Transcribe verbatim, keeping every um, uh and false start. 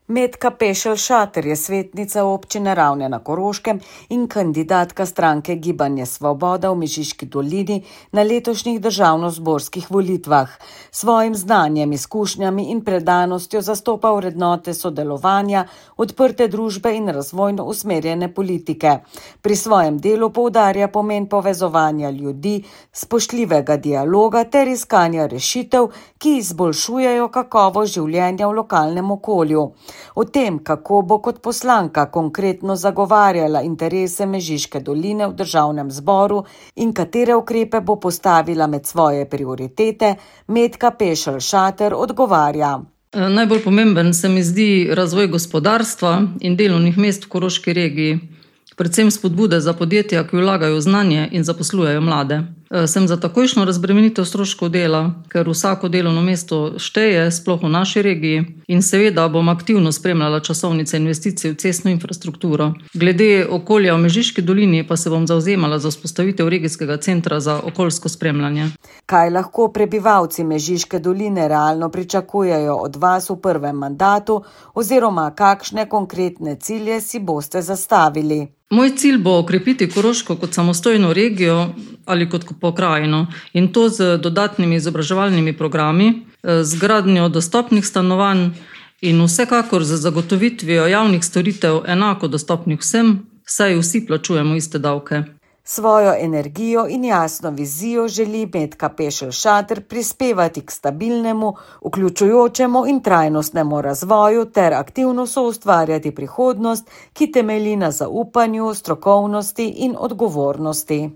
Metka Pešelj-Šater je svetnica občine Ravne na Koroškem in kandidatka stranke Gibanje Svoboda v Mežiški dolini na letošnjih državnozborskih volitvah. Svojim znanjem, izkušnjami in predanostjo zastopa vrednote sodelovanja, odprte družbe in razvojno usmerjene politike. Pri svojem delu poudarja pomen povezovanja ljudi, spoštljivega dialoga ter iskanja rešitev, ki izboljšujejo kakovost življenja v lokalnem okolju. O tem, kako bo kot poslanka konkretno zagovarjala interese Mežiške doline v državnem zboru in katere ukrepe bo postavila med svoje prioritete, Metka Pešelj-Šater odgovarja. Najbolj pomemben se mi zdi razvoj gospodarstva in delovnih mest v Koroški regiji, predvsem spodbude za podjetja, ki vlagajo v znanje in zaposlujejo mlade. Sem za takojšnjo razbremenitev stroškov dela, ker vsako delovno mesto šteje, sploh v naši regiji, in seveda bom aktivno spremljala časovnice investicij v cestno infrastrukturo. Glede okolja v Mežiški dolini pa se bom zavzemala za vzpostavitev regijskega centra za okoljsko spremljanje. Kaj lahko prebivalci Mežiške doline realno pričakujejo od vas v prvem mandatu oziroma kakšne konkretne cilje si boste zastavili? Moj cilj bo okrepiti Koroško kot samostojno regijo ali kot pokrajino in to z dodatnimi izobraževalnimi programi, z gradnjo dostopnih stanovanj in vsekakor z zagotovitvijo javnih storitev enako dostopnih vsem, saj vsi plačujemo iste davke. Svojo energijo in jasno vizijo želi Metka Pešelj-Šater prispevati k stabilnemu, vključujočemu in trajnostnemu razvoju ter aktivno soustvarjati prihodnost, ki temelji na zaupanju, strokovnosti in odgovornosti.